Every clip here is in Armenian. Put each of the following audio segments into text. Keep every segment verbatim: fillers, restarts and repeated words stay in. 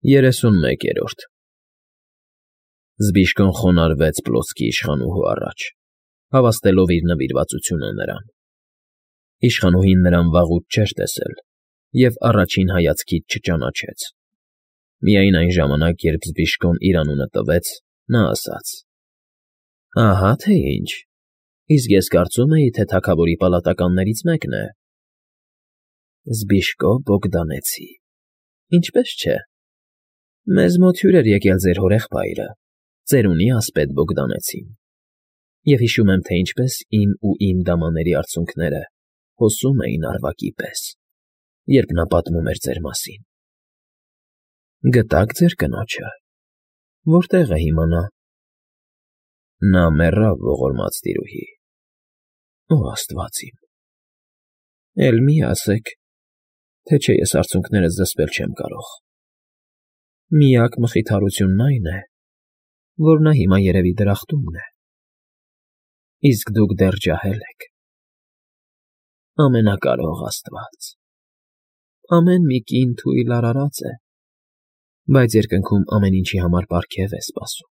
Երեսունմեկերորդ Զբիշկոն խոնարհվեց պլոցկի իշխանուհու առաջ, հավաստելով իր նվիրվածությունը նրան. իշխանուհին նրան վաղուց չէր տեսել և առաջին հայացքից չճանաչեց, միայն այն ժամանակ, երբ Զբիշկոն իր անունը տվեց, նա ասաց. ֊ Ահա թե ինչ, իսկ ես կարծում էի, թե թագավորի պալատականներից մեկն է։ ֊ Զբիշկո Բոգդանեցի, ինչպե՞ս չէ, մեզ մոտ հյուր էր եկել ձեր հորեղբայրը, ծերունի ասպետ Բոգդանեցին, և հիշում եմ, թե ինչպես իմ ու իմ դամաների արցունքները հոսում էին առվակի պես, երբ նա պատմում էր ձեր մասին։ ֊ Գտա՞ք ձեր կնոջը, որտե՞ղ է հիմա նա։ ֊ Նա մեռավ, ողորմած տիրուհի։ ֊ Օ աստված իմ, էլ մի ասեք, թե չէ ես արցունքներս զսպել չեմ կարող։ Միակ մխիթարությունն այն է, որ նա հիմա երևի դրախտումն է, իսկ դուք դեռ ջահել եք։ Ամենակարող աստված, ամեն մի կին թույլ արարած է, բայց երկնքում ամեն ինչի համար պարգև է սպասում,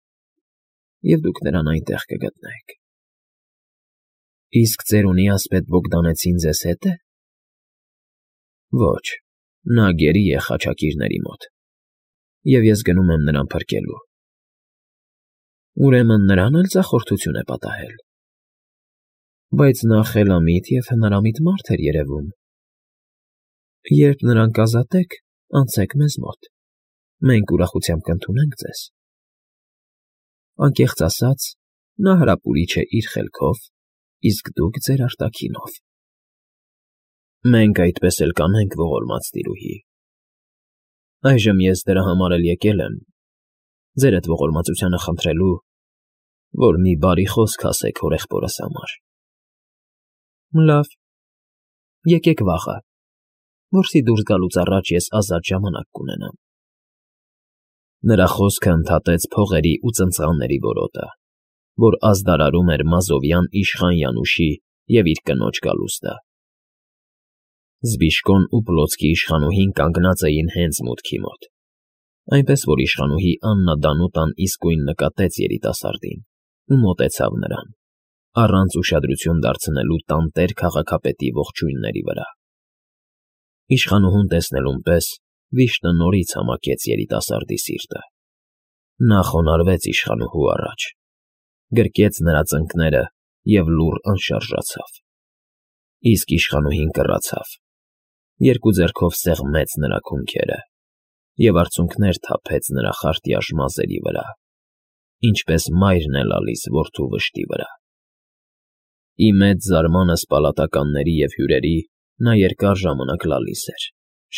և դուք նրան այնտեղ կգտնեք։ ֊ Իսկ ծերունի ասպետ Բոգդանեցին ձեզ հետ է։ ֊ Ոչ, նա գերի է խաչակիրների մոտ, և ես գնում եմ նրան փրկելու։ ֊ Ուրեմն նրան էլ ձախորդություն է պատահել։ ֊ Բայց նա խելամիտ և հնարամիտ մարդ էր երևում։ ֊ Երբ նրան կազատեք, անցեք մեզ մոտ, մենք ուրախությամբ կընդունենք ձեզ։ Անկեղծ ասած, նա հրապուրիչ է իր խելքով, իսկ դուք ձեր արտաքինով։ ֊ Մենք այդպես էլ կանենք, ողորմած տիրուհի։ Այժմ ես դրա համար էլ եկել եմ, ձերդ ողորմածությանը խնդրելու, որ մի բարի խոսք ասեք հորեղբորս համար։ ֊ Լավ, եկեք վաղը, որպեսզի դուրս գալուց առաջ ես ազատ ժամանակ կունենամ։ Նրա խոսքը ընդհատեց փողերի ու ծնծղանների որոտը, որ ազդարարում էր մազովյան իշխան Յանուշի և իր կնոջ գալուստը։ Զբիշկոն ու պլոցկի իշխանուհին կանգնած էին հենց մուտքի մոտ, այնպես որ իշխանուհի Աննա Դանուտան իսկույն նկատեց երիտասարդին ու մոտեցավ նրան, առանց ուշադրություն դարձնելու տանտեր քաղաքապետի ողջույնների վրա։ Իշխանուհուն տեսնելուն պես վիշտը նորից համակեց երիտասարդի սիրտը։ Նա խոնարհվեց իշխանուհու առաջ, գրկեց նրա ծնկները և լուռ անշարժացավ։ Իսկ իշխանուհին կռացավ, երկու ձեռքով սեղմեց նրա քունքերը և արցունքներ թափեց նրա խարտյաշ մազերի վրա, ինչպես մայրն է լալիս որդու վշտի վրա։ Ի մեծ զարմանս պալատականների և հյուրերի նա երկար ժամանակ լալիս էր,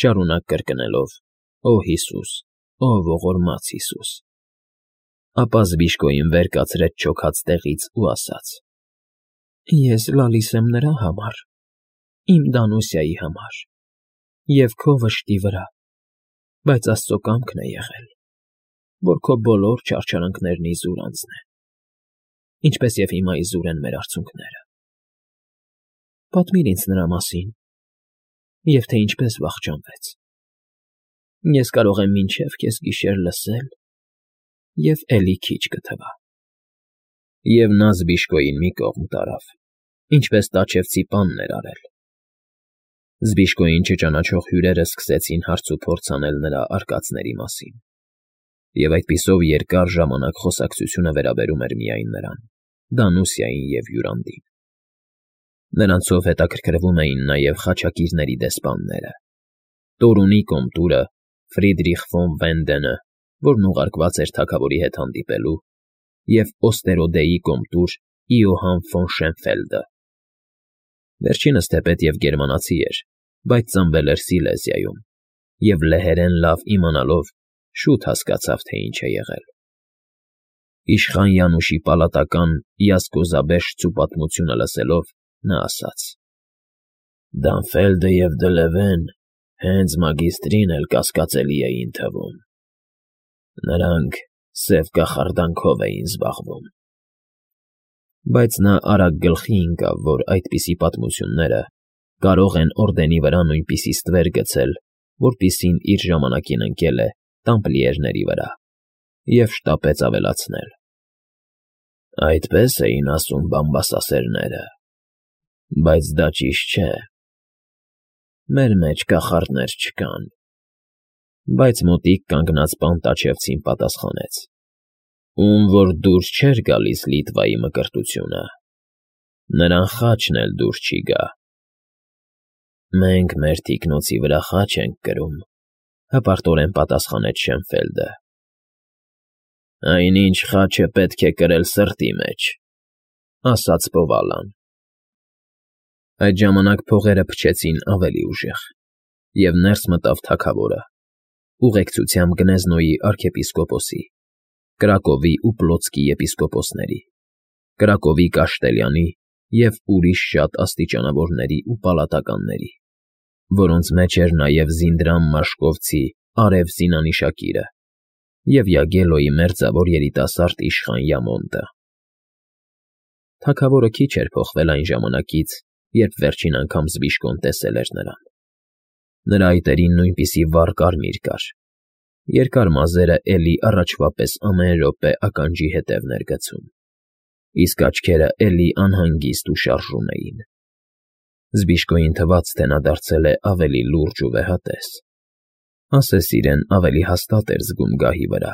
շարունակ կրկնելով. «Օ Հիսուս, օ ողորմած Հիսուս»։ Ապա Զբիշկոյին վեր կացրեց չոքած տեղից ու ասաց. «Ես լալիս եմ նրա համար, իմ Դանուսիայի համար և քո վշտի վրա, բայց Աստծո կամքն է եղել, որ քո բոլոր չարչարանքներն իզուր անցնեն, ինչպես և հիմա իզուր են մեր արցունքները։ Պատմիր ինձ նրա մասին, և թե ինչպես վախճանվեց։ Ես կարող եմ մինչև կեսգիշեր լսել և էլի քիչ կթվա»։ Եվ նա Զբիշկոյին մի կողմ տարավ, ինչպես տաչևցի պանն էր արել։ Զբիշկոյին չճանաչող հյուրերն սկսեցին հարց ու փորձ անել նրա արկածների մասին, և այդպիսով երկար ժամանակ խոսակցությունը վերաբերում էր միայն նրան, Դանուսիային և Յուրանդին։ Նրանցով հետաքրքրվում էին նաև խաչակիրների դեսպանները, Տորունի կոմտուրը Ֆրիդրիխ ֆոն Վենդենը, որն ուղարկված էր թագավորի հետ հանդիպելու, և Օստերոդեի կոմտուր Իոհան ֆոն Շենֆելդը։ Վերջինս թեպետ և գերմանացի էր, բայց ծնվել էր Սիլեզիայում, և լեհերեն լավ իմանալով շուտ հասկացավ, թե ինչ է եղել։ Իշխան Յանուշի պալատական Յասկոզաբեշտցու պատմությունը լսելով՝ նա ասաց. «Դանֆելդը և Դլևեն հենց մագիստրին էլ կասկածելի էին թվում. նրանք սև կախարդանքով էին զբաղվում»։ Բայց նա արագ գլխի ընկավ, որ այդպիսի պատմությունները կարող են օրդենի վրա նույնպիսի ստվեր գցել, որպիսին իր ժամանակին ընկել է տամպլիերների վրա և շտապեց ավելացնել. Այդպես էին ասում բամբասասերները, բայց դա ճիշտ չէ, մեր մեջ կախարդներ չկան։ Բայց մոտիկ կանգնած պանտաչևցին պատասխանեց. Ում որ դուրս չէր գալիս Լիտվայի մկրտությունը, նրան խաչն էլ դուրս չի գա։ Մենք մեր թիկնոցի վրա խաչ ենք կրում, հպարտորեն պատասխանեց Շենֆելդը։ Այնինչ խաչը պետք է կրել սրտի մեջ, ասաց Բովալան։ Այդ ժամանակ փողերը փչեցին ավելի ուժեղ, և ներս մտավ թագավորը, ուղեկցությամբ Գնեզնոյի արքեպիսկոպոսի, Կրակովի ու Պլոցկի եպիսկոպոսների, Կրակովի Կաշտելյանի և ուրիշ շատ աստիճանավորների ու պալատականների, որոնց մեջ էր նաև Զինդրամ Մաշկովցի Արև Զինանիշակիրը և Յագելոյի մերձավոր երիտասարդ իշխան Յամոնտը։ Թագավորը քիչ էր փոխվել այն ժամանակից, երբ վերջին անգամ Զբիշկոն տեսել էր նրան։ Նրա այտերին նույնպիսի վառ կարմիր կար, երկար մազերը էլի առաջվա պես ամեն րոպե ականջի հետևն էր գցում, իսկ աչքերը էլի անհանգիստ ու շարժուն էին։ Զբիշկոյին թվաց, թե նա դարձել է ավելի լուրջ ու վեհատես, ասես իրեն ավելի հաստատ էր զգում գահի վրա,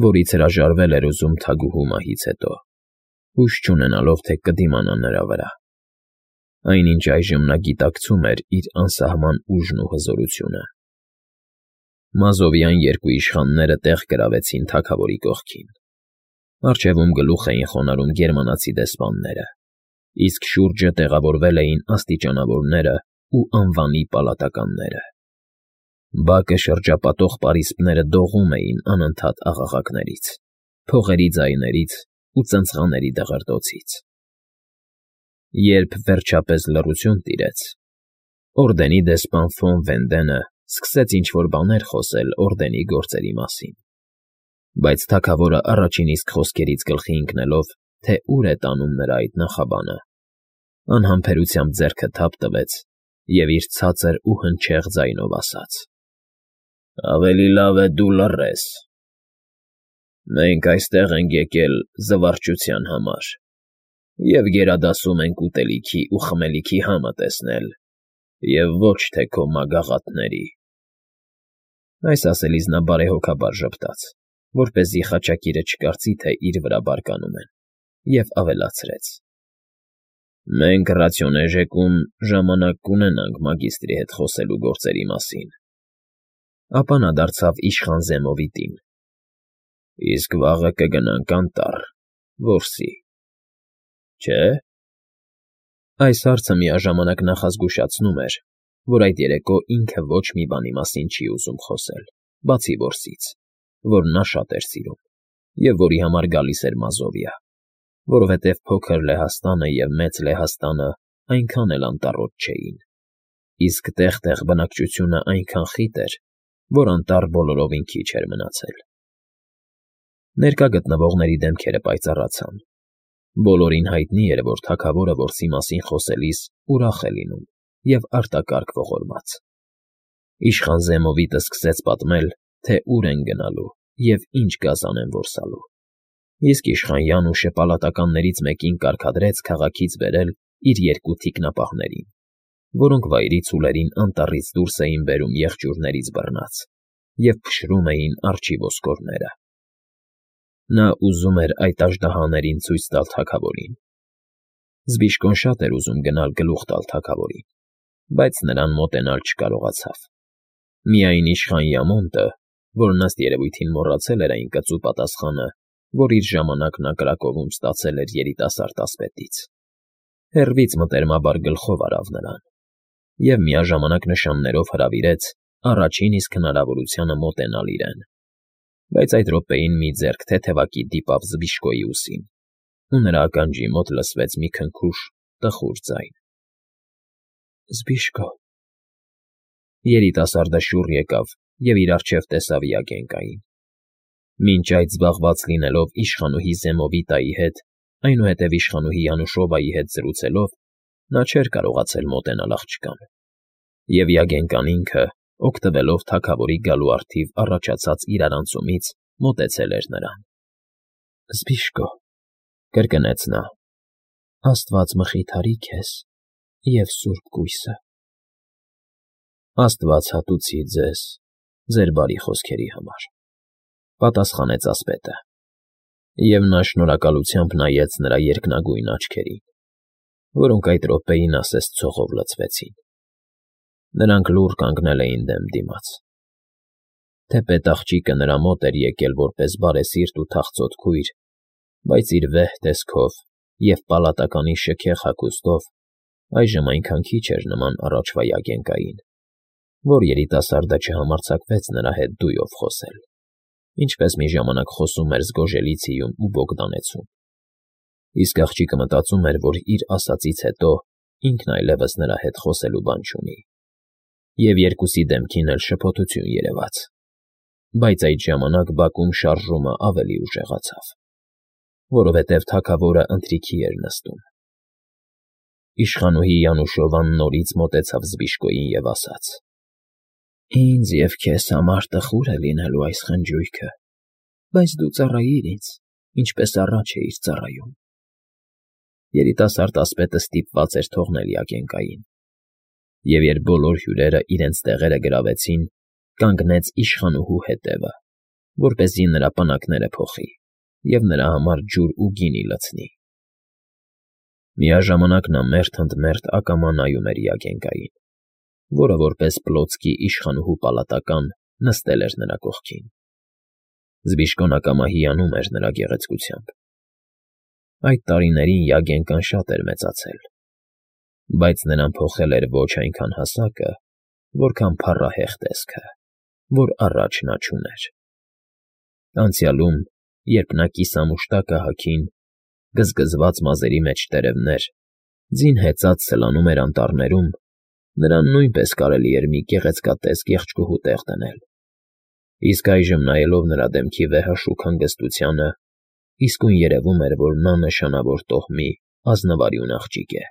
որից հրաժարվել էր ուզում թագուհու մահից հետո, հույս չունենալով, թե կդիմանա նրա վրա։ Այնինչ այժմ նա գիտակցում էր իր անսահման ուժն ու հզորությունը։ Մազովյան երկու իշխանները տեղ գրավեցին թագավորի կողքին։ Առջևում գլուխ էին խոնարհում գերմանացի դեսպանները, իսկ շուրջը տեղավորվել էին աստիճանավորները ու անվանի պալատականները։ Բակը շրջապատող պարիսպները դողում էին անընդհատ աղաղակներից, փողերի ձայներից ու ծնծղաների դղրդոցից։ Երբ վերջապես լռություն տիրեց, օրդենի դեսպան ֆոն Վենդենը սկսեց ինչ-որ բաներ խոսել օրդենի գործերի մասին, բայց թագավորը առաջին իսկ խոսքերից գլխի ընկնելով, թե ուր է տանում նրա այդ նախաբանը, անհամբերությամբ ձեռքը թափ տվեց և իր ցածր ու հնչեղ ձայնով ասաց. «Ավելի լավ է դու լռես։ Մենք այստեղ ենք եկել զվարճության համար և գերադասում ենք ուտելիքի ու խմելիքի համը տեսնել և ոչ թե քո մագաղաթների»։ Այս ասելիս նա բարեհոգաբար ժպտաց, որպեսզի խաչակիրը չկարծի, թե իր վրա բարկանում են, և ավելացրեց. «Մենք Ռացիոնեժեկում ժամանակ կունենանք մագիստրի հետ խոսելու գործերի մասին»։ Ապա նա դարձավ իշխան Զեմովիտին. «Իսկ վաղը կգնանք անտառ, որսի, չէ՞»։ Այս հարցը միաժամանակ նախազգուշացնում էր, որ այդ երեկո ինքը ոչ մի բանի մասին չի ուզում խոսել, բացի որսից, որ նա շատ էր սիրում, և որի համար գալիս էր Մազովիա, որովհետև փոքր Լեհաստանը և մեծ Լեհաստանը այնքան էլ անտառոտ չէին, իսկ տեղ֊տեղ բնակչությունը այնքան խիտ էր, որ անտառ բոլորովին քիչ էր մնացել։ Ներկա գտնվողների դեմքերը պայծառացան։ Բոլորին հայտնի էր, որ թագավորը որսի մասին խոսելիս ուրախ է լինում և արտակարգ ողորմած։ Իշխան Զեմովիտը սկսեց պատմել, թե ուր են գնալու և ինչ գազան են որսալու, իսկ իշխան Յանուշը պալատականներից մեկին կարգադրեց քաղաքից բերել իր երկու թիկնապահներին, որոնք վայրի ցուլերին անտառից դուրս էին բերում եղջյուրներից բռնած և փշրում էին արջի ոսկորները։ Նա ուզում էր այդ աժդահաներին ցույց տալ թագավորին։ Զբիշկոն շատ էր ուզում գնալ գլուխ տալ թագավորին, բայց նրան մոտենալ չկարողացավ։ Միայն իշխան Յամոնտը, որն ըստ երևույթին մոռացել էր այն կծու պատասխանը, որ իր ժամանակ նա Կրակովում ստացել էր երիտասարդ ասպետից, հեռվից մտերմաբար գլխով արավ նրան և միաժամանակ նշաններով հրավիրեց առաջին իսկ հնարավորությանը մոտենալ իրեն, բայց այդ րոպեին մի ձեռք թեթևակի դիպավ Զբիշկոյի ուսին, ու նրա ականջի մոտ լսվեց մի քնքուշ, տխուր ձայն. «Զբիշկո»։ Երիտասարդը շուռ եկավ և իր առջև տեսավ Յագենկային։ Մինչ այդ զբաղված լինելով իշխանուհի Զեմովիտայի հետ, այնուհետև իշխանուհի Յանուշովայի հետ զրուցելով, նա չէր կարողացել մոտենալ աղջկան, և Յագենկան ինքը, օգտվելով թագավորի գալու առթիվ առաջացած իրարանցումից, մոտեցել էր նրան։ ֊ Զբիշկո,֊ կրկնեց նա,֊ աստված մխիթարի քեզ և սուրբ կույսը։ ֊ Աստված հատուցի ձեզ ձեր բարի խոսքերի համար,֊ պատասխանեց ասպետը, և նա շնորհակալությամբ նայեց նրա երկնագույն աչքերին, որոնք այդ րոպեին ասես ցողով լցվեցին. նրանք լուռ կանգնել էին դեմ դիմաց։ Թեպետ աղջիկը նրա մոտ էր եկել որպես բարեսիրտ ու թախծոտ քույր, բայց իր վեհ տեսքով և պալատականի շքեղ հագուստով այժմ այնքան քիչ էր նման առաջվա յագենկային, որ երիտասարդը չհամարձակվեց նրա հետ դույով խոսել, ինչպես մի ժամանակ խոսում էր Զգոժելիցիում ու Բոգդանեցում։ Իսկ աղջիկը մտածում էր, որ իր ասածից հետո ինքն այլևս նրա հետ խոսելու բան չունի, և երկուսի դեմքին էլ շփոթություն երևաց, բայց այդ ժամանակ բակում շարժումը ավելի ուժեղացավ, որովհետև թագավորը ընթրիքի էր նստում։ Իշխանուհի Յանուշովան նորից մոտեցավ Զբիշկոյին և ասաց. «Ինձ և քեզ համար տխուր է լինելու այս խնջույքը, բայց դու ծառայիր ինձ, ինչպես առաջ էիր ծառայում»։ Երիտասարդ ասպետը ստիպված էր թողնել յագենկային, և երբ բոլոր հյուրերը իրենց տեղերը գրավեցին, կանգնեց իշխանուհու հետևը, որպեսզի նրա պնակները փոխի և նրա համար ջուր ու գինի լցնի։ Միաժամանակ նա մերթ ընդ մերթ ակամա նայում էր յագենկային, որը որպես պլոցկի իշխանուհու պալատական նստել էր նրա կողքին։ Զբիշկոն ակամա հիանում էր նրա գեղեցկությամբ։ Այդ տարիներին յագենկան շատ էր մեծացել, բայց նրան փոխել էր ոչ այնքան հասակը, որքան փառահեղ տեսքը, որ առաջ նա չուներ։ Անցյալում, երբ նա կիսամուշտակը հագին, գզգզված մազերի մեջ տերևներ, ձին հեծած սլանում էր անտառներում, նրան նույնպես կարելի էր մի գեղեցկատես կեղճկուհու տեղ դնել։ Իսկ այժմ, նայելով նրա դեմքի վեհաշուք հանգստությանը, իսկույն երևում էր, որ նա նշանավոր տոհմի ազնվարյուն աղջիկ է։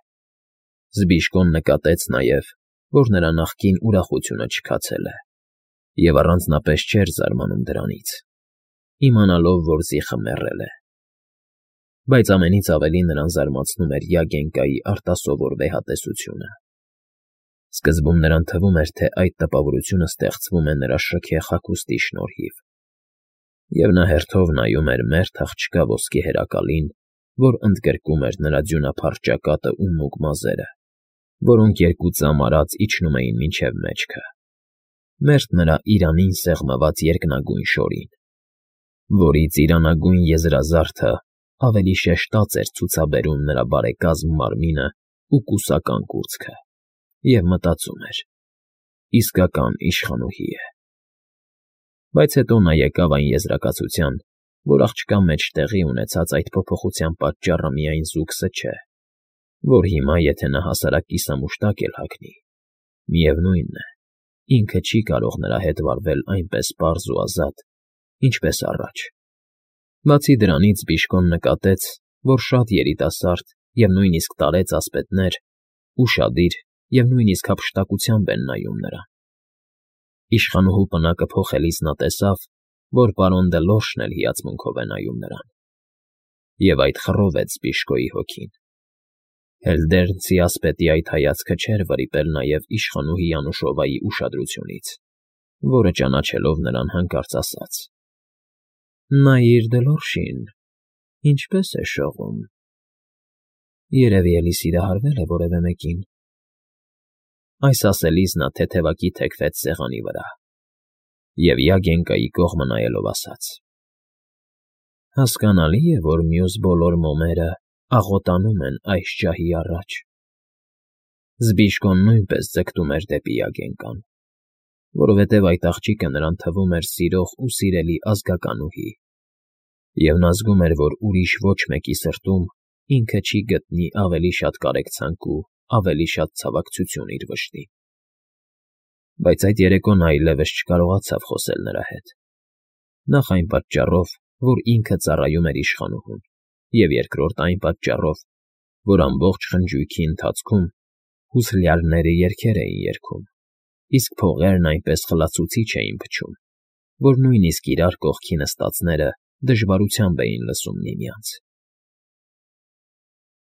Զբիշկոն նկատեց նաև, որ նրա նախկին ուրախությունը չքացել է, և առանձնապես չէր զարմանում դրանից, իմանալով, որ զիխը մեռել է։ Բայց ամենից ավելի նրան զարմացնում էր յագենկայի արտասովոր վեհատեսությունը։ Սկզբում նրան թվում էր, թե այդ տպավորությունը ստեղծվում է նրա շքեղ հագուստի շնորհիվ, և նա հերթով նայում էր մերթ աղջկա ոսկե հերակալին, որ ընդգրկում էր նրա ձյունափառ ճակատն ու մուգ մազերը, որոնք երկու ծամ արած իջնում էին մինչև մեջքը, մերթ նրա իրանին սեղմված երկնագույն շորին, որից իրանագույն եզրազարդը ավելի շեշտած էր ցուցաբերում նրա բարեկազմ մարմինն ու կուսական կուրծքը, և մտածում էր. իսկական իշխանուհի է։ Բայց հետո նա եկավ այն եզրակացության, որ աղջկա մեջ տեղի ունեցած այդ փոփոխության պատճառը միայն զուգսը չէ, որ հիմա, եթե նա հասարակ կիսամուշտակ էլ հագնի, միևնույն է, ինքը չի կարող նրա հետ վարվել այնպես պարզ ու ազատ, ինչպես առաջ։ Բացի դրանից Զբիշկոն նկատեց, որ շատ երիտասարդ և նույնիսկ տարեց ասպետներ ուշադիր և նույնիսկ հափշտակությամբ են նայում նրան։ Իշխանուհու պնակը փոխելիս նա տեսավ, որ պարոն Դելորշն էլ հիացմունքով է նայում նրան, և այդ խռովեց Զբիշկոյի հոգին։ Հելդերնցի ասպետի այդ հայացքը չէր վրիպել նաև իշխանուհի Յանուշովայի ուշադրությունից, որը ճանաչելով նրան հանկարծ ասաց. «Նայիր Դելորշին, ինչպես է շողում։ Երևի էլի սիրահարվել է որևէ մեկին»։ Այս ասելիս նա թեթևակի թեքվեց սեղանի վրա և յագենկայի կողմը նայելով ասաց. «Հասկանալի է, որ մյուս բոլոր մոմերը աղոտանում են այս ջահի առաջ»։ Զբիշկոն նույնպես ձգտում էր դեպի յագենկան, որովհետև այդ աղջիկը նրան թվում էր սիրող ու սիրելի ազգականուհի, և նա զգում էր, որ ուրիշ ոչ մեկի սրտում ինքը չի գտնի ավելի շատ կարեկցանք ու ավելի շատ ցավակցություն իր վշտին։ Բայց այդ երեկո նա այլևս չկարողացավ խոսել նրա հետ, նախ այն պատճառով, որ ինքը ծառայում էր իշխանուհուն, և երկրորդ այն պատճառով, որ ամբողջ խնջույքի ընթացքում հուսլյալները երգեր էին երգում, իսկ փողերն այնպես խլացուցիչ էին փչում, որ նույնիսկ իրար կողքի նստածները դժվարությամբ էին լսում միմյանց։